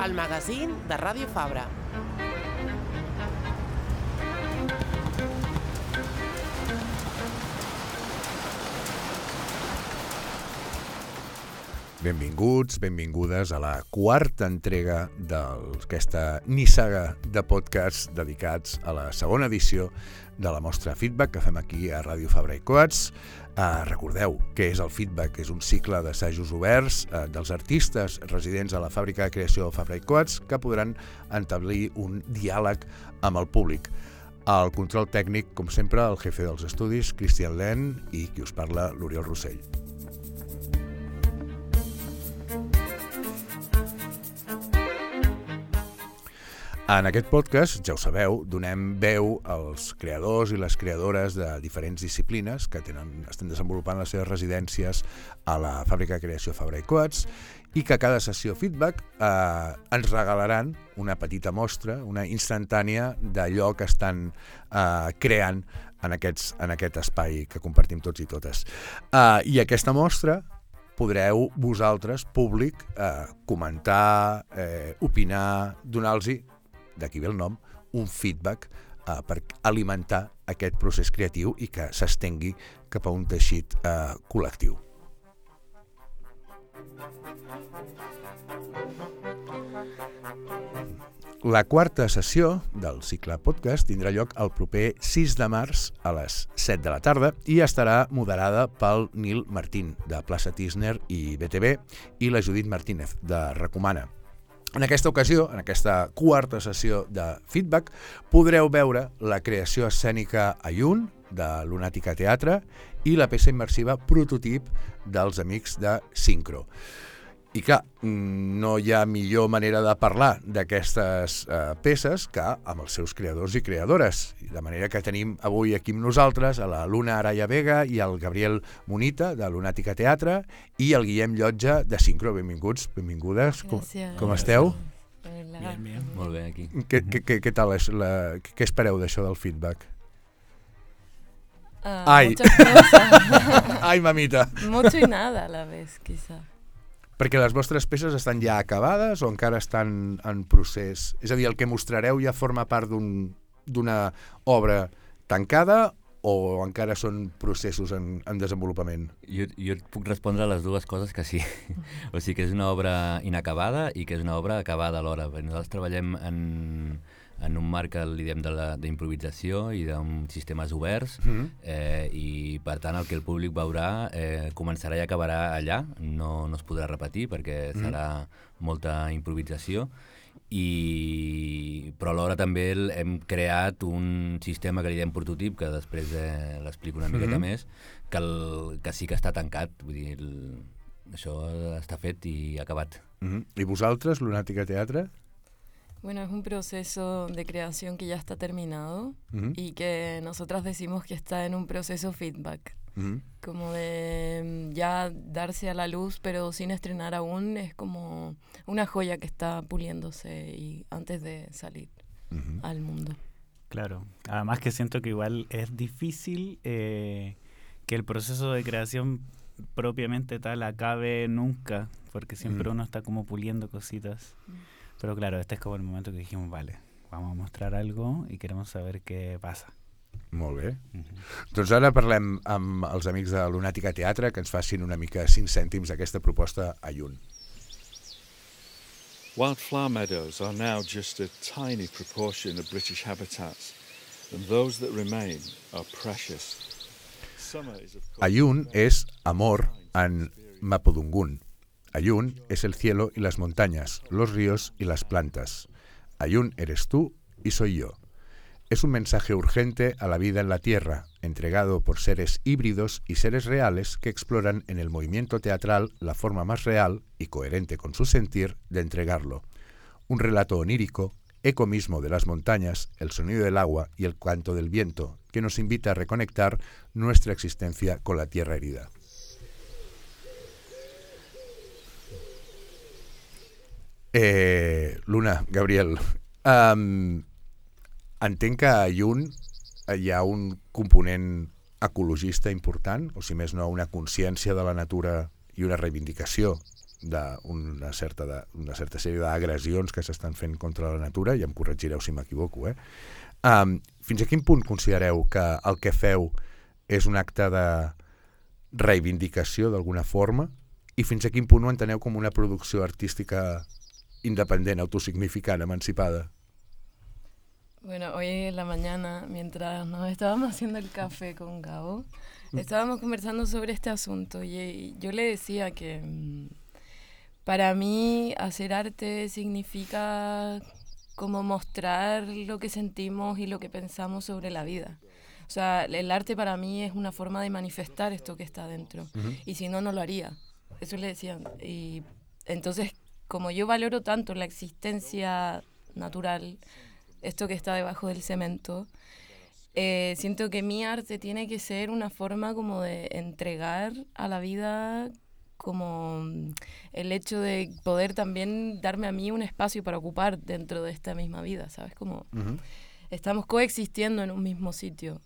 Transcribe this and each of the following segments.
el magazín de Ràdio Fabra. Benvinguts, benvingudes a la quarta entrega d'aquesta nissaga de podcasts dedicats a la segona edició de la mostra Feedback que fem aquí a Ràdio Fabra i Coats. Recordeu què és el Feedback, és un cicle d'assajos oberts dels artistes residents a la fàbrica de creació Fabra i Coats que podran establir un diàleg amb el públic. Al control tècnic, com sempre, el jefe dels estudis, Cristian Len, i qui us parla, l'Oriol Rossell. En aquest podcast, ja ho sabeu, donem veu als creadors i les creadores de diferents disciplines que estan desenvolupant les seves residències a la fàbrica de creació Fabra i Coats i que a cada sessió feedback ens regalaran una petita mostra, una instantània d'allò que estan creant en aquest espai que compartim tots i totes. I aquesta mostra podreu vosaltres, públic, comentar, opinar, donar-los, d'aquí ve el nom, un feedback per alimentar aquest procés creatiu i que s'estengui cap a un teixit col·lectiu. La quarta sessió del cicle podcast tindrà lloc el proper 6 de març a les 7 de la tarda i estarà moderada pel Nil Martín, de Plaça Tisner i BTV, i la Judit Martínez, de Recomana. En aquesta ocasió, en aquesta quarta sessió de feedback, podreu veure la creació escènica Ayun, de Lunàtica Teatre, i la peça immersiva Prototip dels amics de Sincro. I clar, no hi ha millor manera de parlar d'aquestes peces que amb els seus creadors i creadores. De manera que tenim avui aquí amb nosaltres a la Luna Araya Vega i el Gabriel Munita, de Lunàtica Teatre, i el Guillem Llotja, de Sincro. Benvinguts, benvingudes. Com esteu? Bien. Molt bé, aquí. Què tal? Què espereu d'això del feedback? Ai. Muchas cosas. Ai, mamita. Mucho y nada a la vez, quizá. Perquè les vostres peces estan ja acabades o encara estan en procés? És a dir, el que mostrareu ja forma part d'una obra tancada o encara són processos en desenvolupament? Jo et puc respondre a les dues coses que sí. O sigui que és una obra inacabada i que és una obra acabada alhora. Nosaltres treballem en un marc que li diem d'improvisació i d'uns sistemes oberts i per tant el que el públic veurà començarà i acabarà allà, no es podrà repetir perquè serà molta improvisació, però alhora també hem creat un sistema que li diem prototip, que després l'explico una miqueta més, que sí que està tancat, vull dir, això està fet i acabat. I vosaltres, Lunàtica Teatre? Bueno, es un proceso de creación que ya está terminado y que nosotras decimos que está en un proceso feedback. Como de ya darse a la luz, pero sin estrenar aún, es como una joya que está puliéndose y antes de salir al mundo. Claro, además que siento que igual es difícil que el proceso de creación propiamente tal acabe nunca, porque siempre uno está como puliendo cositas. Però, claro, este és com el moment que dijimos, vale, vamos a mostrar algo i queremos saber què passa. Molt bé. Doncs ara parlem amb els amics de Lunàtica Teatre que ens facin una mica 5 cèntims d'aquesta proposta Ayun. Wildflower meadows are now just a tiny proportion of British habitats, and those that remain are precious. Ayun és amor en Mapudungun. Ayun es el cielo y las montañas, los ríos y las plantas. Ayun eres tú y soy yo. Es un mensaje urgente a la vida en la tierra, entregado por seres híbridos y seres reales que exploran en el movimiento teatral la forma más real y coherente con su sentir de entregarlo. Un relato onírico, eco mismo de las montañas, el sonido del agua y el canto del viento, que nos invita a reconectar nuestra existencia con la tierra herida. Luna, Gabriel, entenc que a Ayun hi ha un component ecologista important, o si més no una consciència de la natura i una reivindicació d'una certa sèrie d'agressions que s'estan fent contra la natura, i em corregireu si m'equivoco, fins a quin punt considereu que el que feu és un acte de reivindicació d'alguna forma, i fins a quin punt ho enteneu com una producció artística independent, autosignificant, emancipada? Bueno, hoy en la mañana, mientras nos estábamos haciendo el café con Gabo, estábamos conversando sobre este asunto y yo le decía que para mí hacer arte significa como mostrar lo que sentimos y lo que pensamos sobre la vida. O sea, el arte para mí es una forma de manifestar esto que está dentro. Y si no, no lo haría. Eso le decían. Y entonces, como yo valoro tanto la existencia natural, esto que está debajo del cemento, siento que mi arte tiene que ser una forma como de entregar a la vida como el hecho de poder también darme a mí un espacio para ocupar dentro de esta misma vida, ¿sabes? Como estamos coexistiendo en un mismo sitio.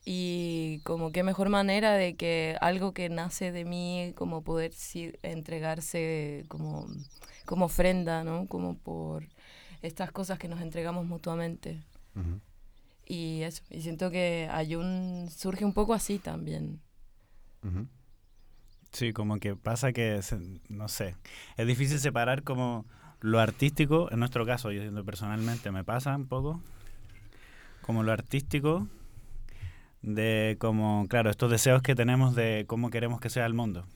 Y como qué mejor manera de que algo que nace de mí, como poder entregarse como ofrenda, ¿no? Como por estas cosas que nos entregamos mutuamente. Y eso, y siento que Ayun surge un poco así también. Sí, como que pasa que, no sé, es difícil separar como lo artístico, en nuestro caso, yo siento personalmente, me pasa un poco, como lo artístico de como, claro, estos deseos que tenemos de cómo queremos que sea el mundo.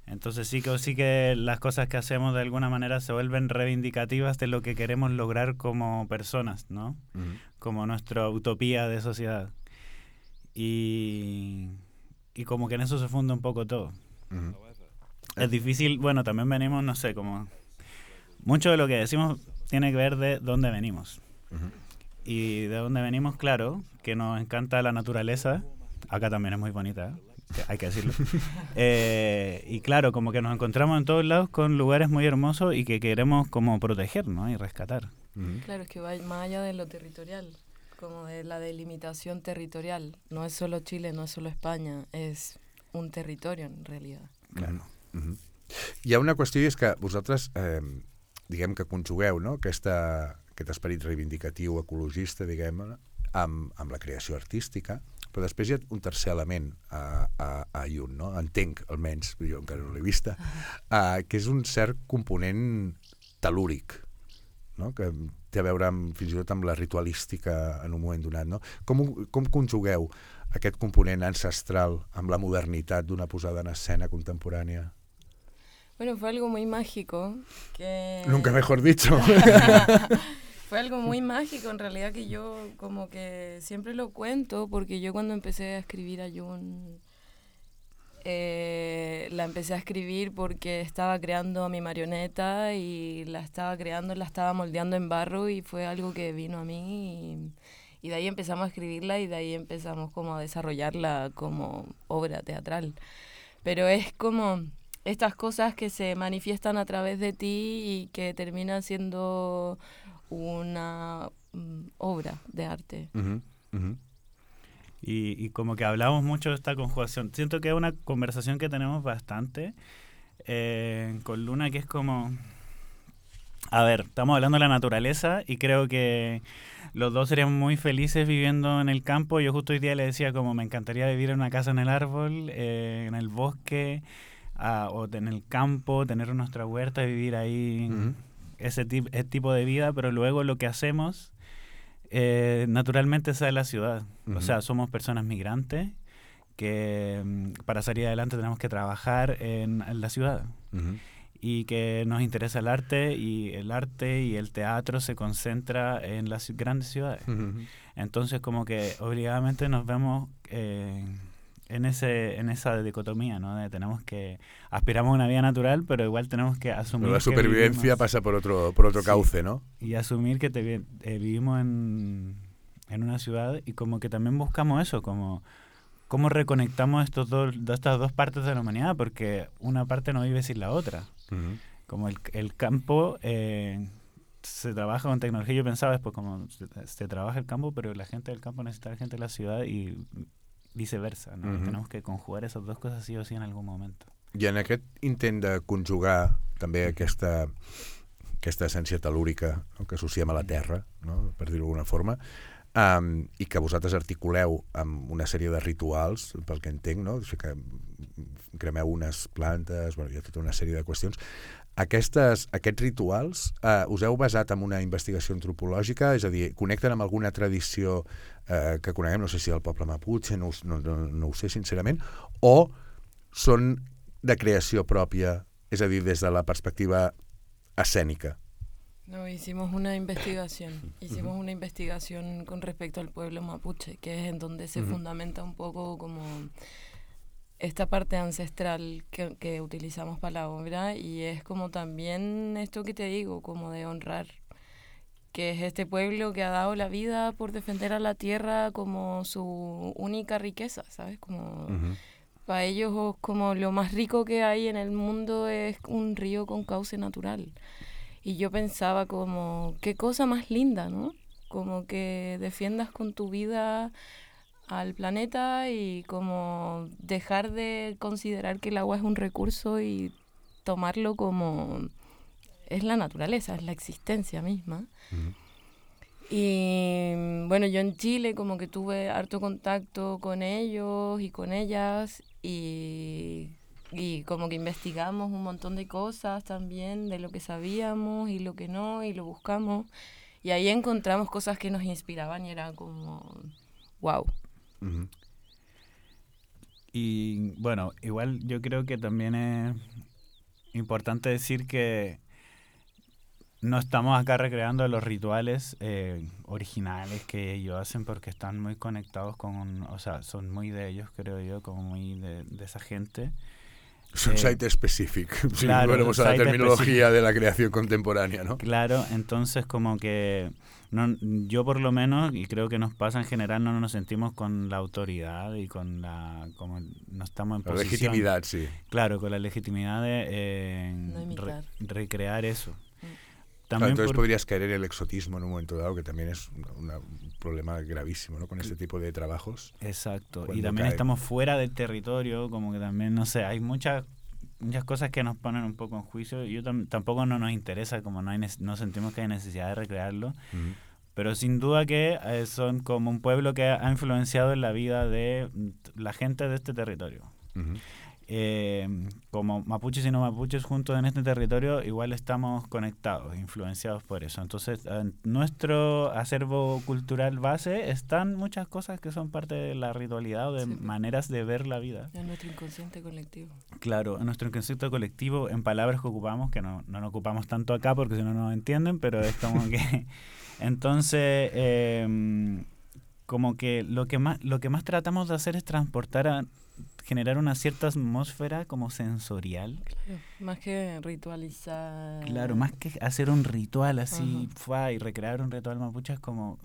Entonces sí que las cosas que hacemos de alguna manera se vuelven reivindicativas de lo que queremos lograr como personas, ¿no? Como nuestra utopía de sociedad. Y como que en eso se funde un poco todo. Es difícil, bueno, también venimos, no sé, como mucho de lo que decimos tiene que ver de dónde venimos. Y de dónde venimos, claro, que nos encanta la naturaleza. Acá también es muy bonita, hay que decirlo. Y claro, como que nos encontramos en todos lados con lugares muy hermosos y que queremos como proteger, ¿no? Y rescatar. Claro, es que va más allá de lo territorial, como de la delimitación territorial. No es solo Chile, no es solo España, es un territorio en realidad. Claro. Hi ha una qüestió, i és que vosaltres, diguem que conjugueu, no?, aquest esperit reivindicatiu ecologista, diguem, amb la creació artística, però després hi ha un tercer element a Ayun, no? Entenc, almenys, jo encara no l'he vista, que és un cert component telúric, no? Que té a veure fins i tot amb la ritualística en un moment donat, no? Com conjugueu aquest component ancestral amb la modernitat d'una posada en escena contemporània? Bueno, fue algo muy mágico que... Nunca mejor dicho. Fue algo muy mágico en realidad, que yo como que siempre lo cuento, porque yo cuando empecé a escribir Ayun, la empecé a escribir porque estaba creando a mi marioneta y la estaba moldeando en barro, y fue algo que vino a mí y de ahí empezamos a escribirla y de ahí empezamos como a desarrollarla como obra teatral. Pero es como estas cosas que se manifiestan a través de ti y que terminan siendo una obra de arte. Y como que hablamos mucho de esta conjugación. Siento que es una conversación que tenemos bastante con Luna, que es como... A ver, estamos hablando de la naturaleza y creo que los dos seríamos muy felices viviendo en el campo. Yo justo hoy día le decía como me encantaría vivir en una casa en el árbol, en el bosque, o en el campo, tener nuestra huerta y vivir ahí ese tipo de vida, pero luego lo que hacemos naturalmente es en la ciudad. O sea, somos personas migrantes que para salir adelante tenemos que trabajar en la ciudad. Y que nos interesa el arte y el teatro se concentra en las grandes ciudades. Entonces como que obligadamente nos vemos en esa dicotomía, ¿no? De aspiramos a una vida natural, pero igual tenemos que asumir la supervivencia pasa por otro cauce, ¿no? Y asumir que vivimos en una ciudad, y como que también buscamos eso, como cómo reconectamos estas dos partes de la humanidad, porque una parte no vive sin la otra. Como el campo se trabaja con tecnología. Yo pensaba después como se trabaja el campo, pero la gente del campo necesita a la gente de la ciudad y viceversa, ¿no? Tenemos que conjugar esas dos cosas sí o sí en algun moment. I en aquest intent de conjugar també aquesta essència tel·lúrica, no? Que associem a la terra, no? Per dir-ho d'alguna forma, i que vosaltres articuleu amb una sèrie de rituals, pel que entenc, no? O sigui que cremeu unes plantes, bueno, hi ha tota una sèrie de qüestions. Aquests rituals us heu basat en una investigació antropològica, és a dir, connecten amb alguna tradició que coneguem, no sé si el poble Mapuche, no ho sé sincerament, o són de creació pròpia, és a dir, des de la perspectiva escénica? No, hicimos una investigación con respecto al pueblo mapuche, que es en donde se fundamenta un poco como esta parte ancestral que utilizamos para la obra, y es como también esto que te digo, como de honrar, que es este pueblo que ha dado la vida por defender a la tierra como su única riqueza, ¿sabes? Como para ellos como lo más rico que hay en el mundo es un río con cauce natural. Y yo pensaba como, qué cosa más linda, ¿no? Como que defiendas con tu vida al planeta y como dejar de considerar que el agua es un recurso y tomarlo como es la naturaleza, es la existencia misma. Y bueno, yo en Chile como que tuve harto contacto con ellos y con ellas, y como que investigamos un montón de cosas también, de lo que sabíamos y lo que no, y lo buscamos, y ahí encontramos cosas que nos inspiraban y era como wow. Y bueno, igual yo creo que también es importante decir que no estamos acá recreando los rituales originales que ellos hacen, porque están muy conectados con, o sea, son muy de ellos, creo yo, como muy de esa gente. Es un site específico, claro, si volvemos a la terminología de la creación contemporánea, ¿no? Claro, entonces como que yo por lo menos, y creo que nos pasa en general, no nos sentimos con la autoridad y con como no estamos en posición. La legitimidad, sí. Claro, con la legitimidad de recrear eso. Claro, entonces podrías caer en el exotismo en un momento dado, que también es un problema gravísimo, ¿no? Con este tipo de trabajos. Exacto, y también estamos fuera del territorio, como que también, no sé, hay muchas cosas que nos ponen un poco en juicio. Yo tampoco no nos interesa, como no sentimos que hay necesidad de recrearlo, pero sin duda que son como un pueblo que ha influenciado en la vida de la gente de este territorio. Como mapuches y no mapuches juntos en este territorio, igual estamos conectados, influenciados por eso. Entonces, en nuestro acervo cultural base están muchas cosas que son parte de la ritualidad o de maneras de ver la vida. En nuestro inconsciente colectivo. Claro, en nuestro inconsciente colectivo, en palabras que ocupamos, que no nos ocupamos tanto acá porque si no nos entienden, pero es como que... Entonces, como que lo que más tratamos de hacer es generar una cierta atmósfera como sensorial. Claro, más que ritualizar. Claro, más que hacer un ritual así, y recrear un ritual mapuche, es como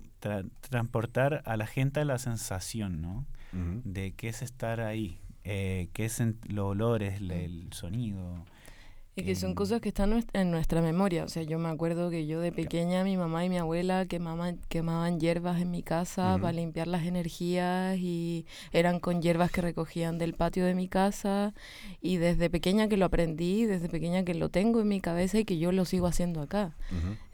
transportar a la gente a la sensación, ¿no? De qué es estar ahí, qué es los olores, el sonido. Y que son cosas que están en nuestra memoria. O sea, yo me acuerdo que yo de pequeña, mi mamá y mi abuela quemaban hierbas en mi casa para limpiar las energías, y eran con hierbas que recogían del patio de mi casa, y desde pequeña que lo aprendí, desde pequeña que lo tengo en mi cabeza y que yo lo sigo haciendo acá.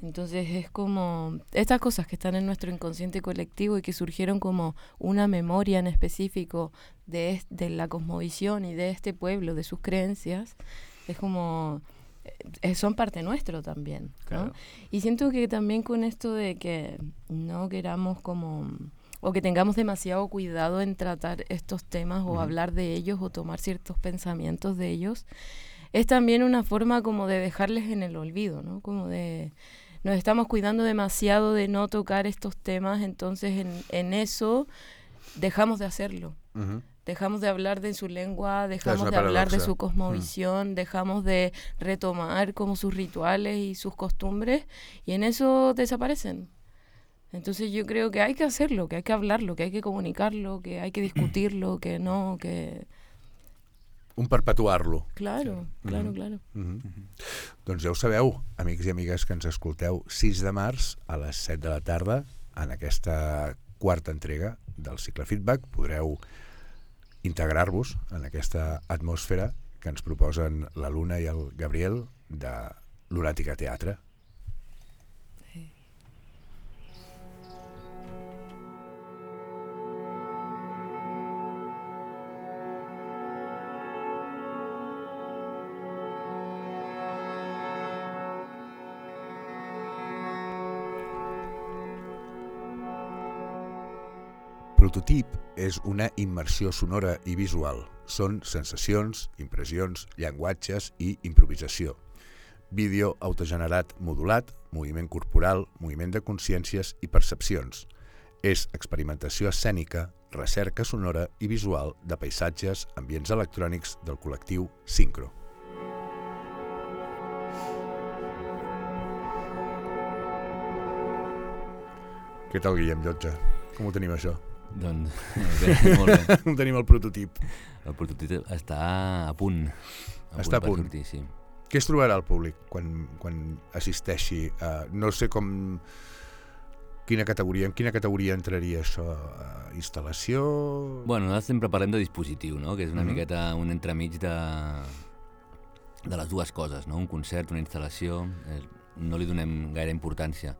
Entonces es como estas cosas que están en nuestro inconsciente colectivo y que surgieron como una memoria en específico de la cosmovisión y de este pueblo, de sus creencias. Es como, son parte nuestro también, ¿no? Claro. Y siento que también con esto de que no queramos como, o que tengamos demasiado cuidado en tratar estos temas o hablar de ellos o tomar ciertos pensamientos de ellos, es también una forma como de dejarles en el olvido, ¿no? Como de, nos estamos cuidando demasiado de no tocar estos temas, entonces en eso dejamos de hacerlo. Dejamos de hablar de su lengua, dejamos de hablar de su cosmovisión, dejamos de retomar como sus rituales y sus costumbres, y en eso desaparecen. Entonces yo creo que hay que hacerlo, que hay que hablarlo, que hay que comunicarlo, que hay que discutirlo, que no, que... Un perpetuar-lo. Claro, claro. Doncs ja ho sabeu, amics i amigues que ens escolteu, 6 de març a les 7 de la tarda, en aquesta quarta entrega del cicle Feedback, podreu integrar-vos en aquesta atmosfera que ens proposen la Luna i el Gabriel de Lunàtica Teatre. Prototip és una immersió sonora i visual. Són sensacions, impressions, llenguatges i improvisació. Vídeo autogenerat modulat, moviment corporal, moviment de consciències i percepcions. És experimentació escènica, recerca sonora i visual de paisatges, ambients electrònics del col·lectiu Sincro. Què tal, Guillem Llotja? Com ho tenim, això? Doncs bé, molt bé. Tenim el prototip. El prototip està a punt. Està a punt. Per sortir, sí. Què es trobarà el públic quan assisteixi? No sé com... En quina categoria entraria això? Instal·lació? Bueno, nosaltres sempre parlem de dispositiu, no? Que és una miqueta un entremig de les dues coses, no? Un concert, una instal·lació, no li donem gaire importància.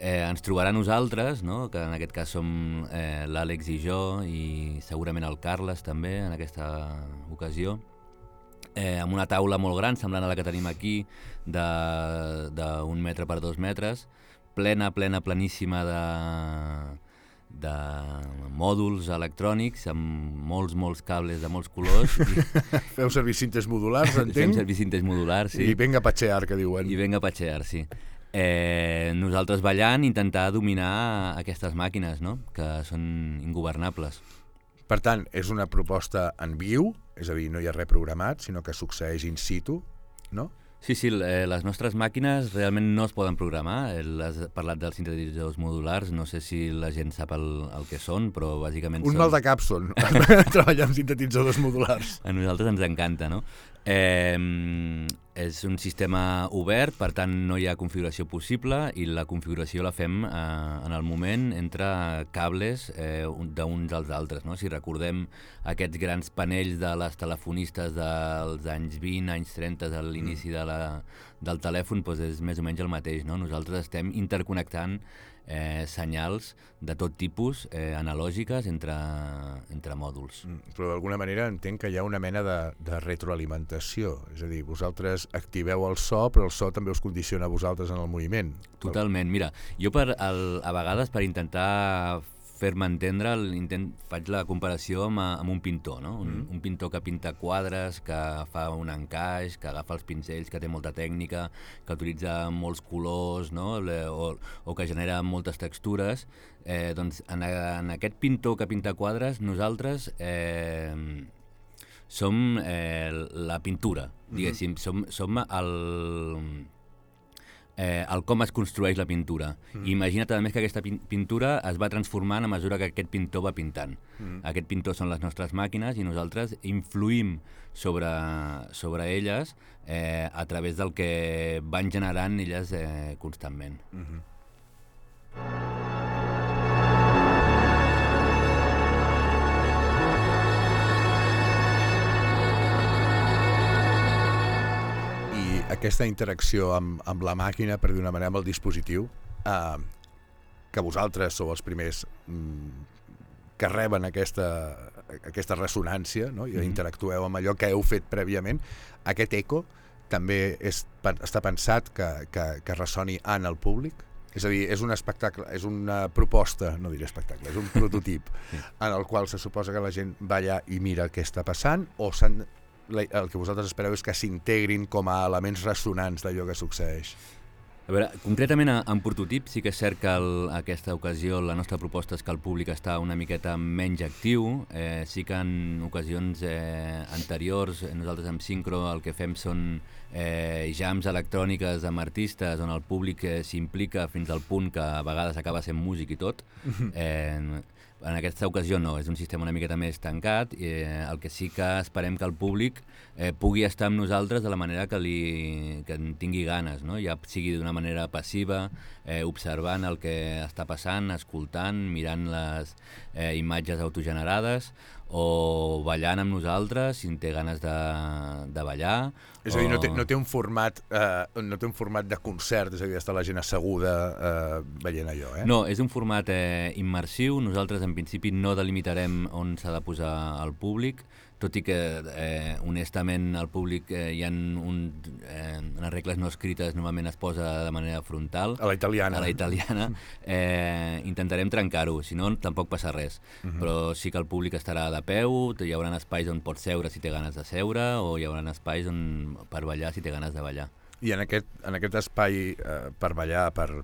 Ens trobarà nosaltres, no? Que en aquest cas som l'Àlex i jo, i segurament el Carles també en aquesta ocasió, amb una taula molt gran, semblant a la que tenim aquí, d'1 metre per 2 metres, pleníssima de mòduls electrònics amb molts cables de molts colors. Feu servir cintes modulars, entenc? Fem servir cintes modulars, sí. I venga a patxear, que diuen. I venga a patxear, sí. Nosaltres ballant, intentar dominar aquestes màquines, no? Que són ingovernables. Per tant, és una proposta en viu, és a dir, no hi ha res programat, sinó que succeeix in situ, no? Sí, les nostres màquines realment no es poden programar. Has parlat dels sintetitzadors modulars, no sé si la gent sap el que són, però bàsicament Un mal de cap són, treballar amb sintetitzadors modulars. A nosaltres ens encanta, no? És un sistema obert, per tant no hi ha configuració possible i la configuració la fem en el moment entre cables d'uns als altres, no? Si recordem aquests grans panells de les telefonistes dels anys 20, anys 30, a l'inici del telèfon, doncs és més o menys el mateix, no? Nosaltres estem interconnectant senyals de tot tipus, analògiques, entre mòduls. Però d'alguna manera entenc que hi ha una mena de retroalimentació, és a dir, vosaltres activeu el so, però el so també us condiciona a vosaltres en el moviment. Totalment, mira, jo a vegades per intentar fer-me entendre, faig la comparació amb un pintor, no? Un pintor que pinta quadres, que fa un encaix, que agafa els pincells, que té molta tècnica, que utilitza molts colors, no? O que genera moltes textures. Doncs en aquest pintor que pinta quadres, nosaltres som la pintura, diguéssim, som el com es construeix la pintura. Imagina't, a més, que aquesta pintura es va transformant a mesura que aquest pintor va pintant. Aquest pintor són les nostres màquines i nosaltres influïm sobre elles a través del que van generant elles constantment. Aquesta interacció amb la màquina, per dir una manera, amb el dispositiu, que vosaltres sou els primers que reben aquesta ressonància, no? I interactueu amb allò que heu fet prèviament, aquest eco també està pensat que ressoni en el públic? És a dir, és un espectacle, és una proposta, no diré espectacle, és un prototip en el qual se suposa que la gent va allà i mira què està passant, o el que vosaltres espereu és que s'integrin com a elements ressonants d'allò que succeeix? A veure, concretament en prototip sí que és cert que aquesta ocasió la nostra proposta és que el públic està una miqueta menys actiu. Sí que en ocasions anteriors nosaltres amb Sincro el que fem són jams electròniques amb artistes on el públic s'implica fins al punt que a vegades acaba sent músic i tot. En aquesta ocasió no, és un sistema una miqueta més tancat, el que sí que esperem que el públic pugui estar amb nosaltres de la manera que en tingui ganes, no? Ja sigui d'una manera passiva, observant el que està passant, escoltant, mirant les imatges autogenerades, o ballant amb nosaltres, si en té ganes de ballar. És a dir, no té un format de concert, és a dir, està la gent asseguda veient allò, eh? No, és un format immersiu. Nosaltres, en principi, no delimitarem on s'ha de posar el públic, tot i que, honestament, al públic hi ha unes regles no escrites, normalment es posa de manera frontal. A la italiana. Intentarem trencar-ho, si no, tampoc passa res. Però sí que el públic estarà de peu, hi haurà espais on pots seure si té ganes de seure, o hi haurà espais per ballar si té ganes de ballar. I en aquest espai per ballar, per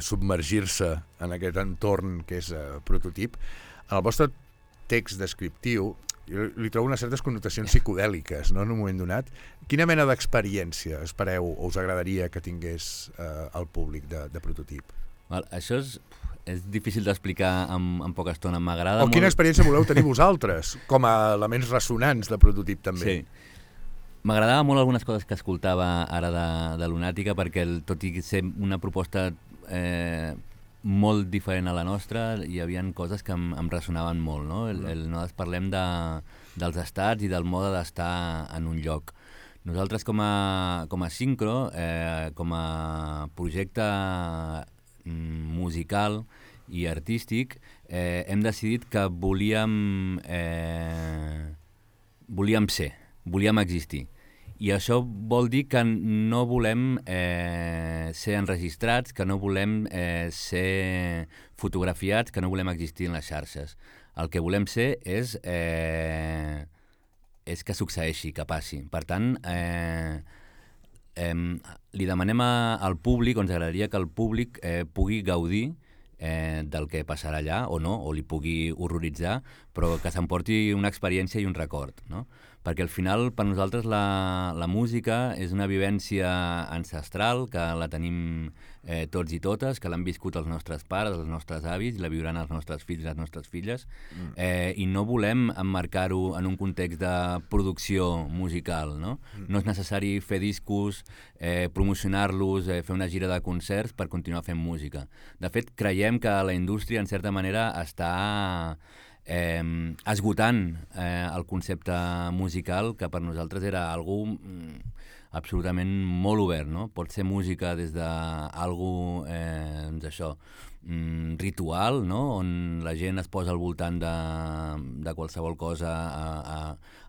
submergir-se en aquest entorn que és prototip, en el vostre text descriptiu li trobo unes certes connotacions psicodèliques, no?, en un moment donat. Quina mena d'experiència espereu o us agradaria que tingués el públic de prototip? Això és difícil d'explicar en poca estona. M'agrada molt... Quina experiència voleu tenir vosaltres, com a elements ressonants de prototip també? Sí. M'agradava molt algunes coses que escoltava ara de Lunàtica, perquè tot i ser una proposta molt diferent a la nostra, hi havia coses que em ressonaven molt, no? Nosaltres parlem dels estats i del mode d'estar en un lloc. Nosaltres com a Sincro, com a projecte musical i artístic, hem decidit que volíem ser, volíem existir. I això vol dir que no volem ser enregistrats, que no volem ser fotografiats, que no volem existir en les xarxes. El que volem ser és que succeeixi, que passi. Per tant, li demanem al públic, o ens agradaria que el públic pugui gaudir del que passarà allà, o no, o li pugui horroritzar, però que s'emporti una experiència i un record, no? Perquè al final, per nosaltres, la música és una vivència ancestral, que la tenim tots i totes, que l'han viscut els nostres pares, els nostres avis, la viuran els nostres fills i les nostres filles, i no volem emmarcar-ho en un context de producció musical, no? No és necessari fer discos, promocionar-los, fer una gira de concerts per continuar fent música. De fet, creiem que la indústria, en certa manera, està esgotant el concepte musical, que per nosaltres era algú absolutament molt obert, no? Pot ser música des d'algú, doncs això, ritual, no? On la gent es posa al voltant de qualsevol cosa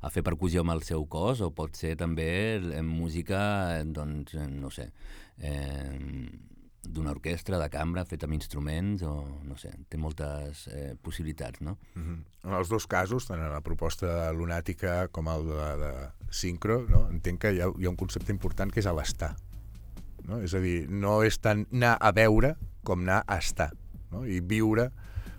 a fer percussió amb el seu cos, o pot ser també música, doncs, no sé, d'una orquestra, de cambra, feta amb instruments, o no sé, té moltes possibilitats, no? En els dos casos, tant en la proposta lunàtica com el de Sincro, no? Entenc que hi ha un concepte important que és l'estar, no? És a dir, no és tant anar a veure com anar a estar, no? I viure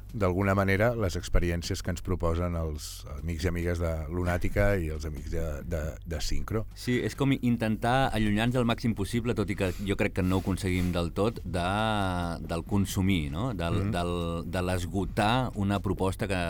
d'alguna manera les experiències que ens proposen els amics i amigues de Lunàtica i els amics de Sincro. Sí, és com intentar allunyar-nos el màxim possible, tot i que jo crec que no ho aconseguim del tot, del consumir, no? De l'esgotar una proposta que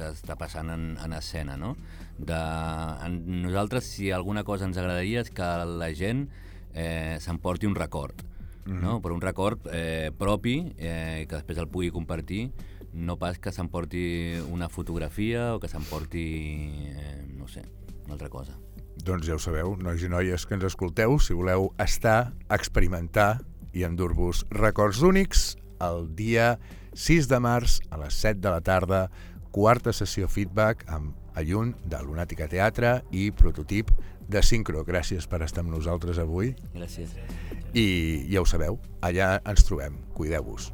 està passant en escena, no? Nosaltres, si alguna cosa ens agradaria, és que la gent s'emporti un record, no? Però un record propi, que després el pugui compartir, no pas que s'emporti una fotografia o que s'emporti, no sé, una altra cosa. Doncs ja ho sabeu, nois i noies que ens escolteu, si voleu estar, experimentar i endur-vos records únics, el dia 6 de març a les 7 de la tarda, quarta sessió feedback amb Ayun de Lunàtica Teatre i Prototip de Sincro. Gràcies per estar amb nosaltres avui. Gràcies. I ja ho sabeu, allà ens trobem. Cuideu-vos.